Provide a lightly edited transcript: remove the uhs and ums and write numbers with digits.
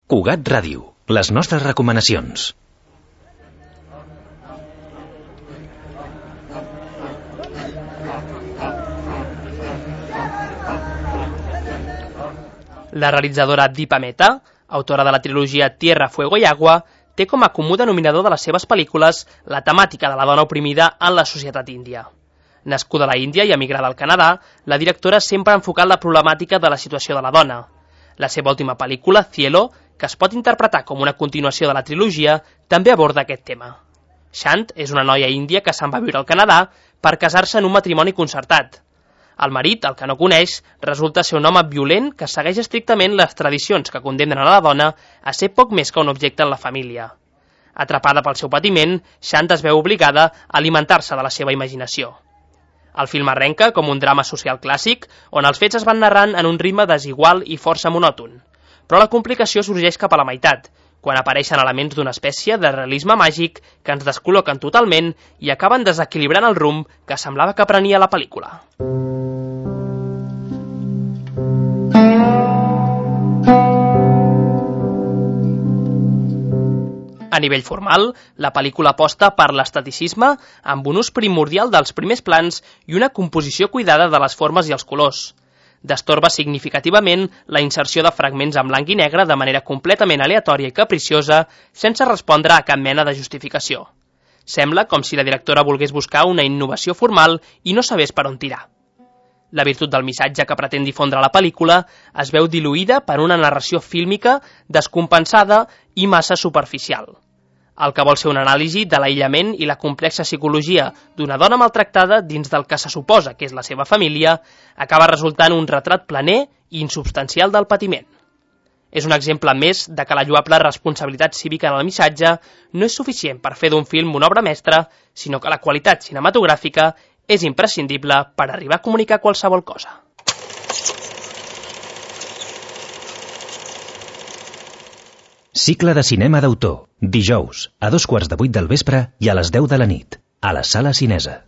Cugat Ràdio, les nostres recomanacions. La realitzadora Deepa Mehta, autora de la trilogia Tierra, Fuego y Agua, té com a comú denominador de les seves pel·lícules la temàtica de la dona oprimida en la societat índia. Nascuda a la Índia i emigrada al Canadà, la directora sempre ha enfocat la problemàtica de la situació de la dona. La seva última pel·lícula, Cielo, que es pot interpretar com una continuació de la trilogia, també aborda aquest tema. Shant és una noia índia que se'n va viure al Canadà per casar-se en un matrimoni concertat. El marit, el que no coneix, resulta ser un home violent que segueix estrictament les tradicions que condemnen a la dona a ser poc més que un objecte en la família. Atrapada pel seu patiment, Shant es veu obligada a alimentar-se de la seva imaginació. El film arrenca com un drama social clàssic, on els fets es van narrant en un ritme desigual i força monòton. Però la complicació sorgeix cap a la meitat, quan apareixen elements d'una espècie de realisme màgic que ens descol·loquen totalment i acaben desequilibrant el rumb que semblava que prenia la pel·lícula. A nivell formal, la pel·lícula aposta per l'esteticisme amb un ús primordial dels primers plans i una composició cuidada de les formes i els colors. Destorba significativament la inserció de fragments en blanc i negre de manera completament aleatòria i capriciosa, sense respondre a cap mena de justificació. Sembla com si la directora volgués buscar una innovació formal i no sabés per on tirar. La virtut del missatge que pretén difondre la pel·lícula es veu diluïda per una narració fílmica descompensada i massa superficial. El que vol ser una anàlisi de l'aïllament i la complexa psicologia d'una dona maltractada dins del que se suposa que és la seva família, acaba resultant un retrat planer i insubstancial del patiment. És un exemple més de que la lloable responsabilitat cívica en el missatge no és suficient per fer d'un film una obra mestra, sinó que la qualitat cinematogràfica és imprescindible per arribar a comunicar qualsevol cosa. Cicle de cinema d'autor. Dijous, a 7:15 del vespre i a les 10 de la nit, a la Sala Cinesa.